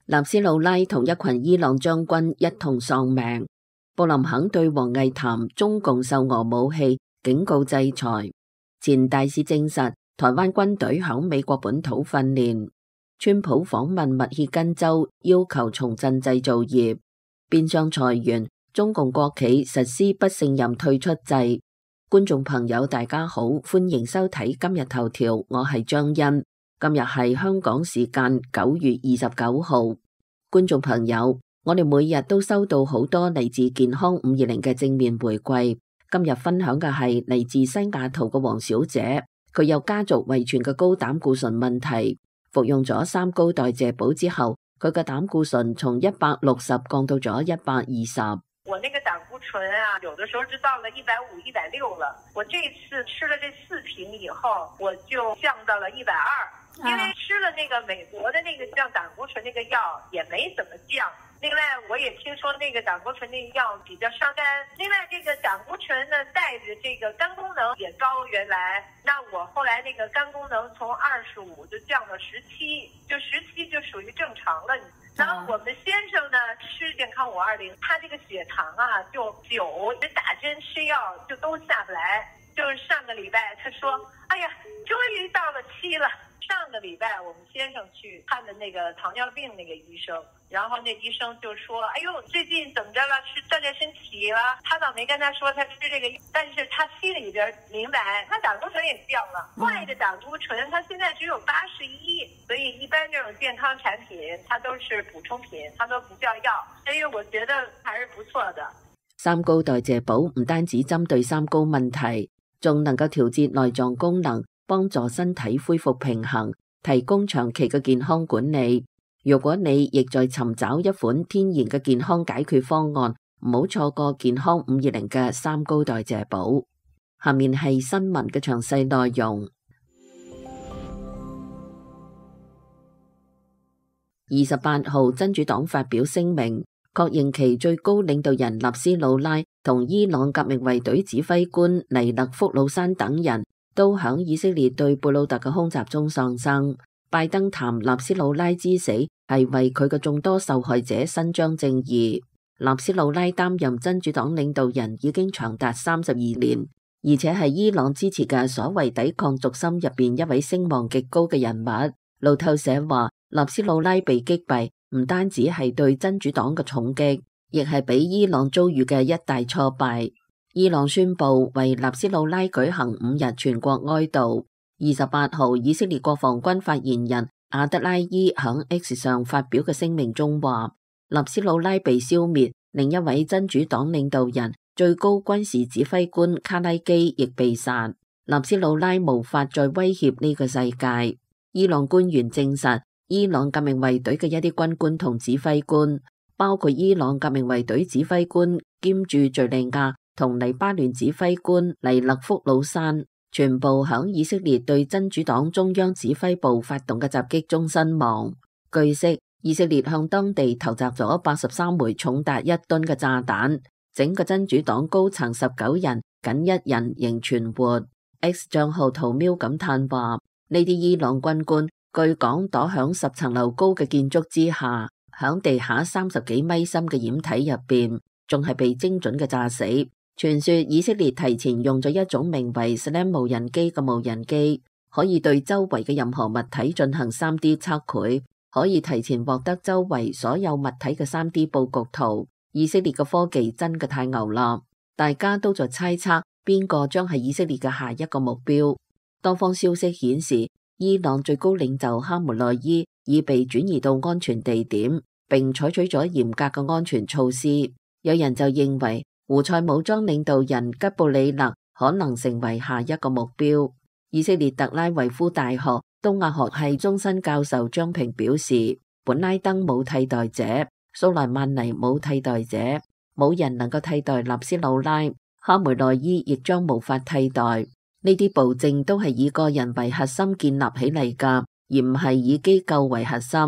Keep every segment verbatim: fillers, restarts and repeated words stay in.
納斯魯拉同一群伊朗將軍一同喪命。布林肯對王毅談中共售俄武器，警告制裁。前大使證實，台灣軍隊響美國本土訓練。川普訪問密歇根州，要求重振製造業。變相裁員，中共國企實施不勝任退出制。觀眾朋友大家好，歡迎收睇今日頭條，我係張欣。今日係香港時間九月二十九號。觀眾朋友，我哋每日都收到好多嚟自健康五二零嘅正面回饋。今日分享嘅係嚟自西雅圖嘅黃小姐，佢有家族遺傳嘅高膽固醇問題，服用咗三高代謝寶之後，佢嘅膽固醇從一百六十降到咗一百二十。我那個膽固醇啊，有的時候就到了一百五、一百六了。我這次吃了這四瓶以後，我就降到了一百二。因為吃了那個美國的那個降膽固醇那個藥也沒怎麼降。另外，我也聽說那個膽固醇那個藥比較傷肝。另外，這個膽固醇呢帶着這個肝功能也高，原來，那我後來那個肝功能從二十五就降到十七，就十七就屬於正常了。然後我們先生呢吃健康五二零，他這個血糖啊就九，打針吃藥就都下不來。就是上個禮拜他說，哎呀，終於到了七了。上個禮拜我們先生去看的那個糖尿病那個醫生，然後那醫生就說，哎呦，最近怎麼着了？是鍛鍊身體了？他倒沒跟他說他吃這個，但是他心裏邊明白，他膽固醇也降了。壞的膽固醇，他現在只有八十一，所以一般這種健康產品，它都是補充品，它都不叫藥，所以我覺得還是不錯的。三高代謝寶唔單止針對三高問題，仲能夠調節內臟功能，幫助身體恢復平衡，提供長期嘅健康管理。如果你亦在尋找一款天然嘅健康解決方案，唔好錯過健康五二零嘅三高代謝寶。下面係新聞嘅詳細內容。二十八號，真主黨發表聲明，確認其最高領導人納斯魯拉同伊朗革命衛隊指揮官尼勒福魯山等人都響以色列對貝魯特嘅空襲中喪生。拜登談納斯魯拉之死係為佢嘅眾多受害者伸張正義。納斯魯拉擔任真主黨領導人已經長達三十二年，而且係伊朗支持嘅所謂抵抗軸心入邊一位聲望極高嘅人物。路透社話，納斯魯拉被擊斃唔單止係對真主黨嘅重擊，亦係俾伊朗遭遇嘅一大挫敗。伊朗宣布為納斯魯拉舉行五日全國哀悼。二十八號，以色列國防軍發言人阿德拉伊響 X 上發表嘅聲明中話，納斯魯拉被消滅，另一位真主黨領導人、最高軍事指揮官卡拉基亦被殺。納斯魯拉無法再威脅呢個世界。伊朗官員證實，伊朗革命衛隊嘅一啲軍官同指揮官，包括伊朗革命衛隊指揮官兼駐敘利亞同黎巴嫩指揮官尼勒福魯山，全部響以色列對真主黨中央指揮部發動嘅襲擊中身亡。據悉，以色列向當地投擲咗八十三枚重達一噸嘅炸彈，整個真主黨高層十九人，僅一人仍存活。X 賬號圖喵感嘆話：呢啲伊朗軍官據講躲響十層樓高嘅建築之下，響地下三十幾米深嘅掩體入邊，仲係被精準嘅炸死。傳說以色列提前用咗一種名為 Slam 無人機嘅無人機，可以對周圍嘅任何物體進行 三 D 測繪，可以提前獲得周圍所有物體嘅 三 D 佈局圖。以色列嘅科技真嘅太牛啦！大家都在猜測邊個將係以色列嘅下一個目標。多方消息顯示，伊朗最高領袖哈梅內伊已被轉移到安全地點，並採取咗嚴格嘅安全措施。有人就認為胡塞武裝領導人吉布里勒可能成為下一個目標。以色列特拉維夫大學東亞學系終身教授張平表示，本拉登冇替代者，蘇萊曼尼冇替代者，冇人能夠替代納斯魯拉，哈梅內伊亦將無法替代。呢啲暴政都係以個人為核心建立起嚟㗎，而唔係以機構為核心。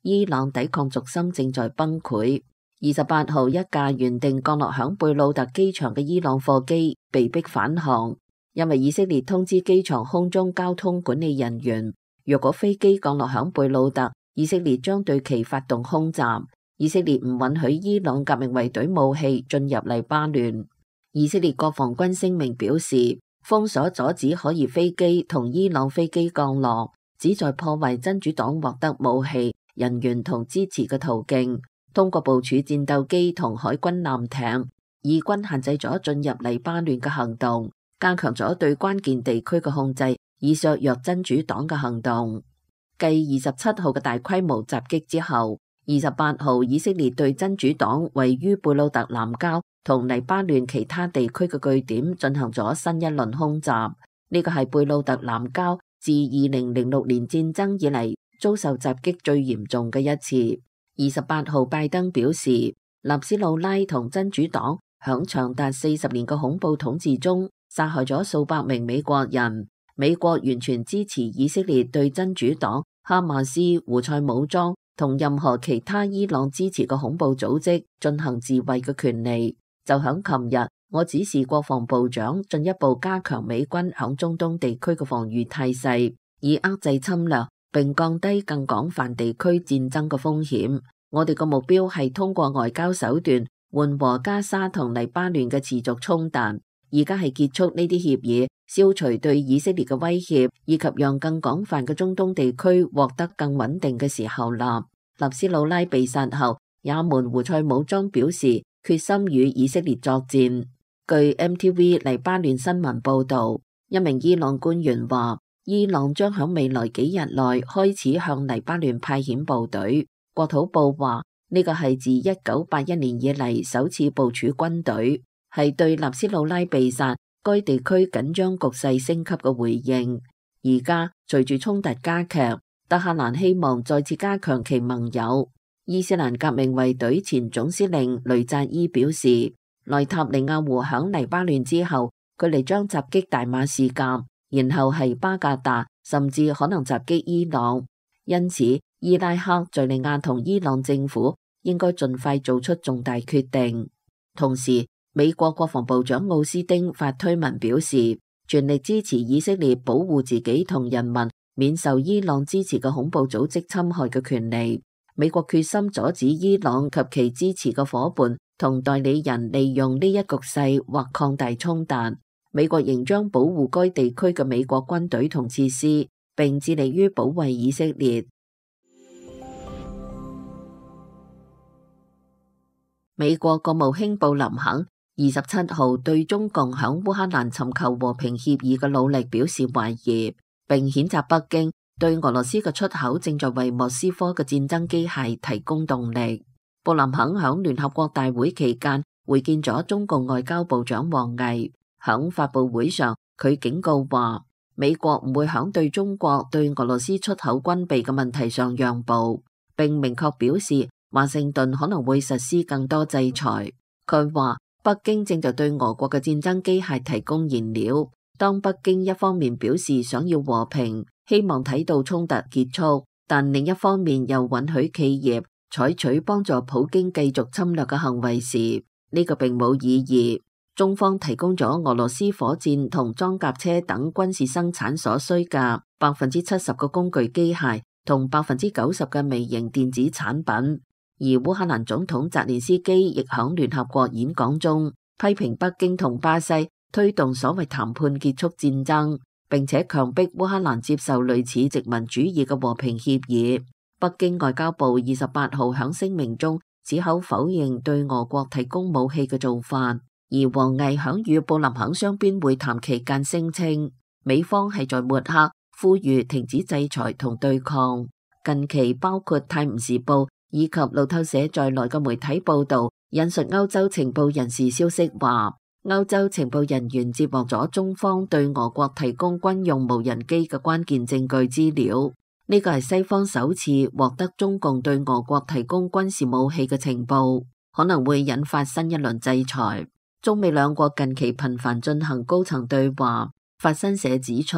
伊朗抵抗軸心正在崩潰。二十八號，一架原定降落響貝魯特機場嘅伊朗貨機被迫返航，因為以色列通知機場空中交通管理人員，若果飛機降落響貝魯特，以色列將對其發動空襲。以色列唔允許伊朗革命衛隊武器進入黎巴嫩。以色列國防軍聲明表示，封鎖阻止可疑飛機同伊朗飛機降落，旨在破壞真主黨獲得武器、人員同支持嘅途徑。通過部署戰鬥機同海軍艦艇，以軍限制咗進入黎巴嫩嘅行動，加強咗對關鍵地區嘅控制，以削弱真主黨嘅行動。繼二十七號嘅大規模襲擊之後，二十八號以色列對真主黨位於貝魯特南郊同黎巴嫩其他地區嘅據點進行咗新一輪空襲。呢個係貝魯特南郊自二零零六年戰爭以嚟遭受襲擊最嚴重嘅一次。二十八號拜登表示，納斯魯拉同真主黨響長達四十年嘅恐怖統治中殺害咗數百名美國人。美國完全支持以色列對真主黨、哈馬斯、胡塞武裝同任何其他伊朗支持嘅恐怖組織進行自衛嘅權利。就響琴日，我指示國防部長進一步加強美軍響中東地區嘅防禦態勢，以遏制侵略並降低更廣泛地區戰爭嘅風險。我哋嘅目標係通過外交手段緩和加沙同黎巴嫩嘅持續衝突。而家係結束呢啲協議，消除對以色列嘅威脅，以及讓更廣泛嘅中東地區獲得更穩定嘅時候啦。納斯魯拉被殺後，也門胡塞武裝表示決心與以色列作戰。據 M T V 黎巴嫩新聞報導，一名伊朗官員話，伊朗將喺未來幾日內開始向黎巴嫩派遣部隊。國土部話，呢個係自一九八一年以嚟首次部署軍隊，係對納斯魯拉被殺該地區緊張局勢升級嘅回應。而家隨住衝突加劇，德黑蘭希望再次加強其盟友。伊斯蘭革命衛隊前總司令雷扎伊表示，內塔尼亞胡響黎巴嫩之後，佢哋將襲擊大馬士革，然後係巴格達，甚至可能襲擊伊朗。因此，伊拉克、敘利亞同伊朗政府應該盡快做出重大決定。同時，美國國防部長奧斯汀發推文表示，全力支持以色列保護自己同人民免受伊朗支持嘅恐怖組織侵害嘅權利。美國決心阻止伊朗及其支持嘅夥伴同代理人利用呢一局勢或擴大衝突。美國仍將保護該地區嘅美國軍隊同設施，並致力於保衛以色列。美國國務卿布林肯二十七號對中共響烏克蘭尋求和平協議嘅努力表示懷疑，並譴責北京對俄羅斯嘅出口正在為莫斯科嘅戰爭機械提供動力。布林肯響聯合國大會期間會見咗中共外交部長王毅，響發佈會上佢警告話，美國唔會響對中國對俄羅斯出口軍備嘅問題上讓步，並明確表示華盛頓可能會實施更多制裁。佢話北京正在對俄國嘅戰爭機械提供燃料。當北京一方面表示想要和平，希望睇到衝突結束，但另一方面又允許企業採取幫助普京繼續侵略嘅行為時，呢個並冇意義。中方提供咗俄羅斯火箭同裝甲車等軍事生產所需嘅百分之七十嘅工具機械同百分之九十嘅微型電子產品。而烏克蘭總統澤連斯基亦響聯合國演講中批評北京同巴西推動所謂談判結束戰爭，並且強迫烏克蘭接受類似殖民主義嘅和平協議。北京外交部二十八號響聲明中矢口否認對俄國提供武器嘅做法，而王毅響與布林肯雙邊會談期間聲稱，美方係在抹黑，呼籲停止制裁同對抗。近期包括《泰晤士報》以及路透社在內嘅媒體報道，引述歐洲情報人士消息話，歐洲情報人員接獲咗中方對俄國提供軍用無人機嘅關鍵證據資料。呢個係西方首次獲得中共對俄國提供軍事武器嘅情報，可能會引發新一輪制裁。中美兩國近期頻繁進行高層對話。法新社指出，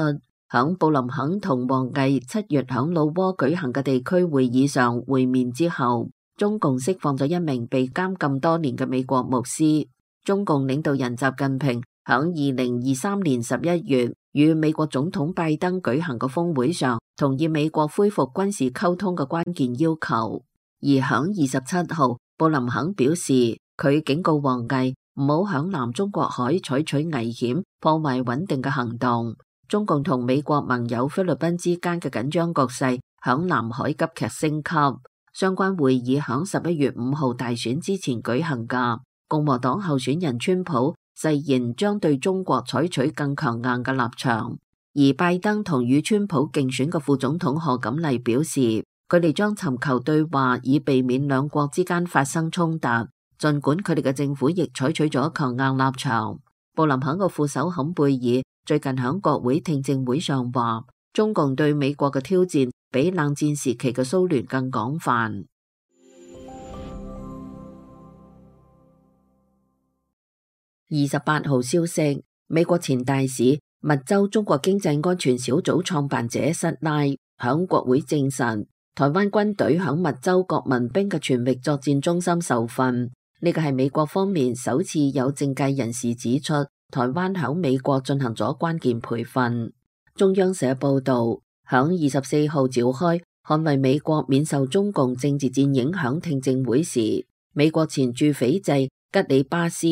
響布林肯同王毅七月響老撾舉行嘅地區會議上會面之後，中共釋放咗一名被監禁多年嘅美國牧師。中共領導人習近平響二零二三年十一月與美國總統拜登舉行嘅峰會上，同意美國恢復軍事溝通嘅關鍵要求。而響二十七號，布林肯表示，佢警告王毅唔好響南中國海採取危險、破壞穩定嘅行動。中共同美國盟友菲律賓之間嘅緊張局勢響南海急劇升級。相關會議響十一月五號大選之前舉行噶。共和黨候選人川普誓言將對中國採取更強硬嘅立場，而拜登同與川普競選嘅副總統賀錦麗表示，佢哋將尋求對話，以避免兩國之間發生衝突。儘管佢哋嘅政府亦採取咗強硬立場。布林肯嘅副手坎貝爾最近響國會聽證會上話，中共對美國嘅挑戰比冷戰時期嘅蘇聯更廣泛。二十八號消息，美國前大使、密州中國經濟安全小組創辦者塞拉響國會證實，台灣軍隊響密州國民兵嘅全域作戰中心受訓。呢個係美國方面首次有政界人士指出，台灣響美國進行咗關鍵培訓。中央社報道，響二十四號召開捍衛美國免受中共政治戰影響聽證會時，美國前駐斐濟、吉里巴斯、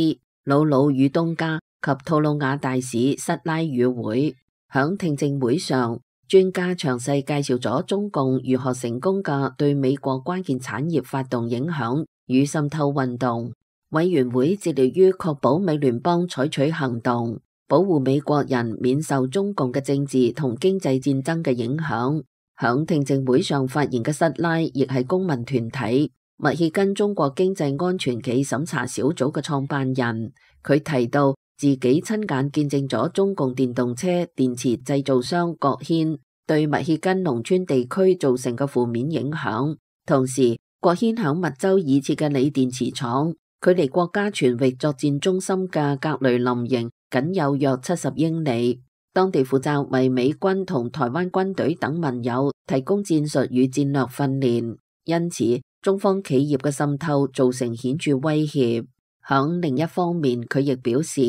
魯魯與東加及吐魯瓦大使塞拉與會。響聽證會上，專家詳細介紹咗中共如何成功嘅對美國關鍵產業發動影響與滲透運動。委員會致力於確保美聯邦採取行動，保護美國人免受中共嘅政治同經濟戰爭嘅影響。響聽證會上發言嘅塞拉亦係公民團體密歇根中國經濟安全暨審查小組嘅創辦人。佢提到自己親眼見證咗中共電動車電池製造商國軒對密歇根農村地區造成嘅負面影響。同時，國軒響密州已設嘅鋰電池廠，距離國家全域作戰中心嘅格雷林營僅有約七十英里。當地負責為美軍同台灣軍隊等盟友提供戰術與戰略訓練，因此中方企業嘅滲透造成顯著威脅。響另一方面，佢亦表示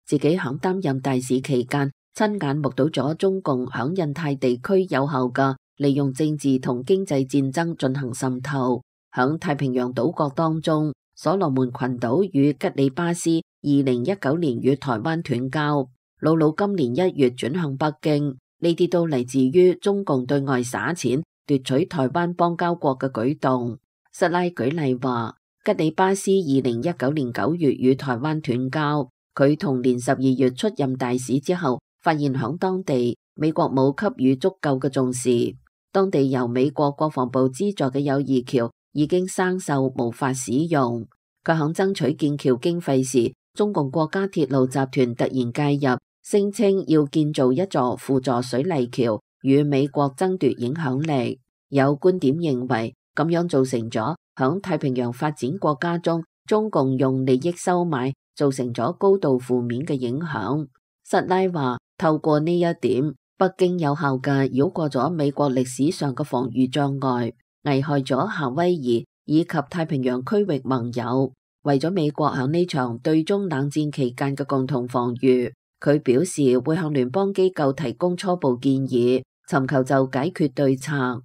自己響擔任大使期間，親眼目睹咗中共響印太地區有效嘅利用政治同經濟戰爭進行滲透。響太平洋島國當中，所羅門群島與吉里巴斯二零一九年與台灣斷交，魯魯今年一月轉向北京，呢啲都嚟自於中共對外撒錢奪取台灣邦交國嘅舉動。塞拉舉例話，吉里巴斯二零一九年九月與台灣斷交，佢同年十二月出任大使之後，發現響當地美國冇給予足夠嘅重視，當地由美國國防部資助嘅友誼橋已經生鏽無法使用。佢響爭取建橋經費時，中共國家鐵路集團突然介入，聲稱要建造一座輔助水泥橋，與美國爭奪影響力。有觀點認為，咁樣造成咗響太平洋發展國家中，中共用利益收買，造成咗高度負面嘅影響。塞拉話，透過呢一點，北京有效嘅繞過咗美國歷史上嘅防禦障礙，危害咗夏威夷以及太平洋區域盟友。為咗美國響呢場對中冷戰期間嘅共同防禦，佢表示會向聯邦機構提供初步建議，尋求就解決對策。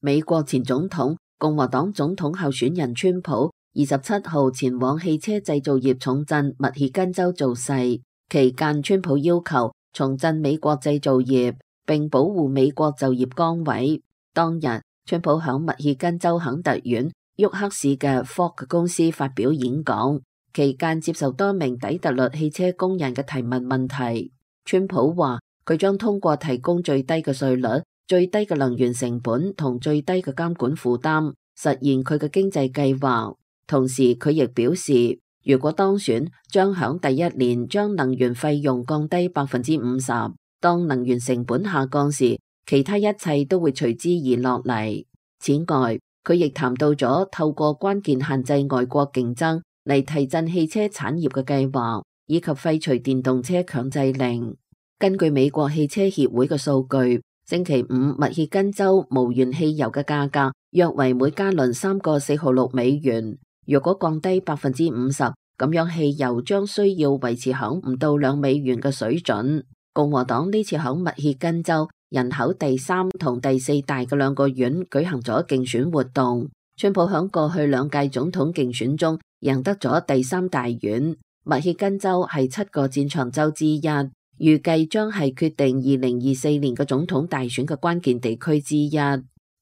美國前總統、共和黨總統候選人川普二十七號前往汽車製造業重鎮密歇根州造勢，期間川普要求重振美國製造業，並保護美國就業崗位。當日，川普響密歇根州肯特縣沃克市嘅 Ford 公司發表演講，期間接受多名底特律汽車工人嘅提問問題。川普話佢將通過提供最低嘅稅率、最低嘅能源成本同最低嘅監管負擔，實現佢嘅經濟計劃。同時，佢亦表示，如果當選，將響第一年將能源費用降低百分之五十。當能源成本下降時，其他一切都會隨之而落嚟。此外，佢亦談到咗透過關鍵限制外國競爭嚟提振汽車產業嘅計劃，以及廢除電動車強制令。根據美國汽車協會嘅數據，星期五密歇根州無鉛汽油嘅價格約為每加侖三個四毫六美元。若果降低百分之五十，咁樣汽油將需要維持響唔到兩美元嘅水準。共和黨呢次響密歇根州人口第三同第四大嘅兩個縣舉行咗競選活動。川普響過去兩屆總統競選中贏得咗第三大縣。密歇根州係七個戰場州之一，預計將係決定二零二四年嘅總統大選嘅關鍵地區之一。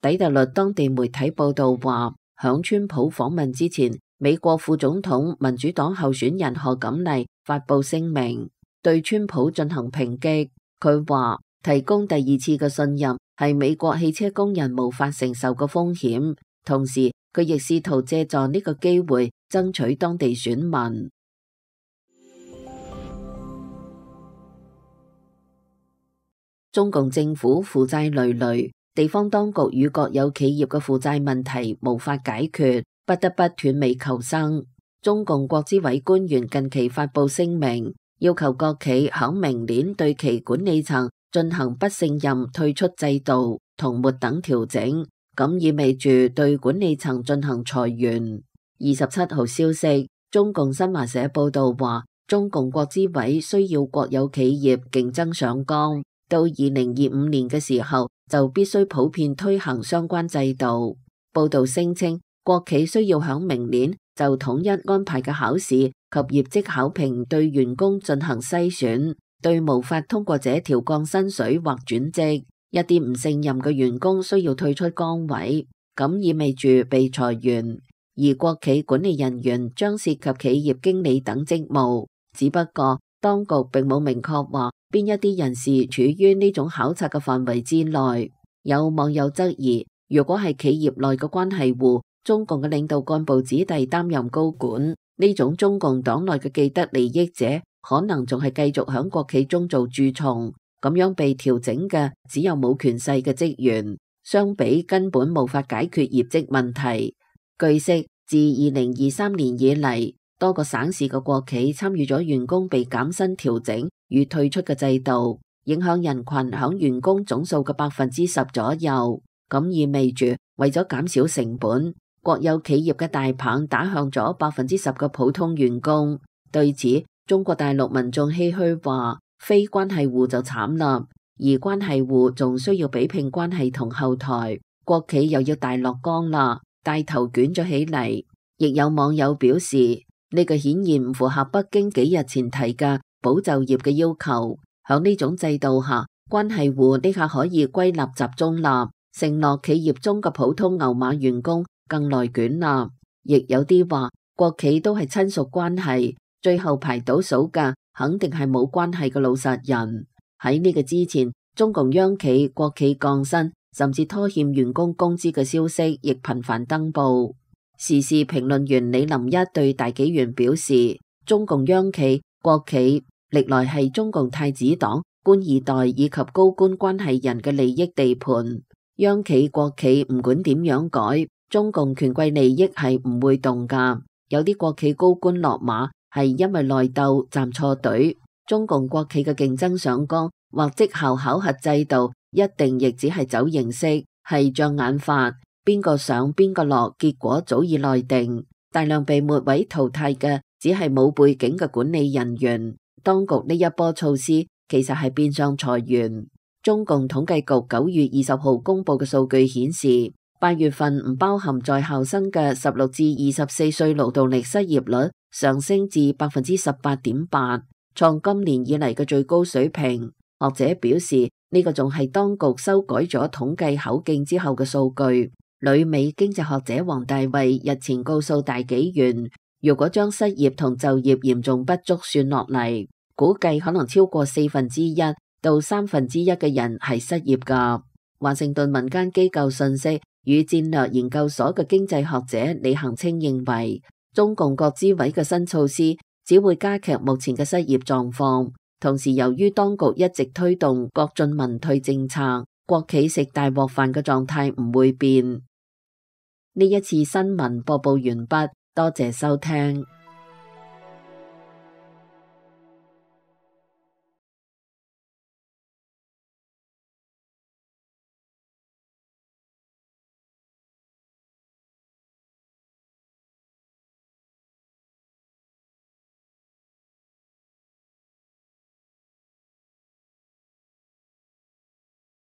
底特律當地媒體報道話，響川普訪問之前，美國副總統民主黨候選人賀錦麗發佈聲明，對川普進行抨擊。佢話提供第二次嘅信任係美國汽車工人無法承受嘅風險，同時佢亦試圖借助呢個機會爭取當地選民。中共政府負債累累，地方當局與國有企業嘅負債問題無法解決，不得不斷尾求生。中共國資委官員近期發佈聲明，要求國企響明年對其管理層進行不勝任退出制度同末等調整，咁意味住對管理層進行裁員。二十七號消息，中共新華社報道話，中共國資委需要國有企業競爭上崗，到二零二五年嘅時候就必須普遍推行相關制度。報道聲稱，國企需要響明年就統一安排嘅考試及業績考評對員工進行篩選，對無法通過這條降薪水或轉職，一啲唔勝任嘅員工需要退出崗位，咁意味住被裁員。而國企管理人員將涉及企業經理等職務，只不過當局並冇明確話邊一啲人士處於呢種考察嘅範圍之內。有網友質疑，如果係企業內嘅關係戶，中共嘅領導幹部子弟擔任高管，呢種中共黨內嘅既得利益者可能仲係繼續響國企中做蛀蟲，咁樣被調整嘅只有冇權勢嘅職員，相比根本無法解決業績問題。據悉，自二零二三年以嚟，多個省市嘅國企參與咗員工被減薪調整與退出嘅制度，影響人群響員工總數嘅百分之十左右。咁意味住為咗減少成本，國有企業嘅大棒打向咗百分之十嘅普通員工。對此，中國大陸民眾唏噓話，非關係戶就慘啦，而關係戶仲需要比拼關係同後台，國企又要大落崗啦，帶頭捲咗起嚟。亦有網友表示，呢個顯然唔符合北京幾日前提嘅保就業嘅要求。響呢種制度下，關係戶呢下可以歸納集中啦，承諾企業中嘅普通牛馬員工更內捲啦。亦有啲話，國企都係親屬關係，最後排倒數嘅肯定係冇關係嘅老實人。喺呢個之前，中共央企、國企降薪甚至拖欠員工工資嘅消息亦頻繁登報。時事評論員李林一對大紀元表示，中共央企、國企歷來係中共太子黨、官二代以及高官關係人嘅利益地盤。央企、國企唔管點樣改，中共權貴利益係唔會動噶。有啲國企高官落馬係因為內鬥站錯隊。中共國企嘅競爭上崗或績效考核制度，一定亦只係走形式，係障眼法。邊個上邊個落，結果早已內定。大量被末位淘汰嘅只係冇背景嘅管理人員。當局呢一波措施其實係變相裁員。中共統計局九月二十號公布嘅數據顯示，八月份唔包含在校生嘅十六至二十四歲勞動力失業率上升至百分之十八點八，創今年以嚟嘅最高水平。學者表示，呢個仲係當局修改咗統計口徑之後嘅數據。旅美經濟學者黃大衛日前告訴大紀元，如果將失業同就業嚴重不足算落嚟，估計可能超過四分之一到三分之一嘅人係失業㗎。華盛頓民間機構信息與戰略研究所嘅經濟學者李恒清認為，中共國資委嘅新措施只會加劇目前嘅失業狀況，同時由於當局一直推動國進民退政策，國企食大鍋飯嘅狀態唔會變。呢一次新聞播報完畢，多謝收聽。